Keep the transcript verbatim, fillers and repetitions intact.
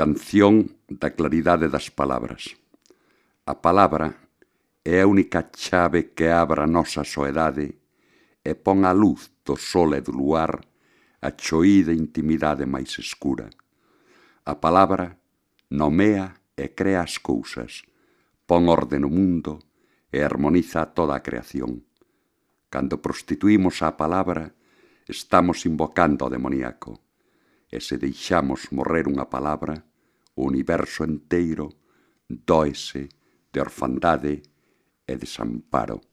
Canción da claridade das palabras. A palabra é a única chave que abra a nosa soedade e pon a luz do sol e do luar a choída intimidade máis escura. A palabra nomea e crea as cousas, pon orde no mundo e armoniza toda a creación. Cando prostituímos a palabra, estamos invocando ao demoníaco. E se deixamos morrer unha palabra, o universo enteiro dóese de orfandade e desamparo.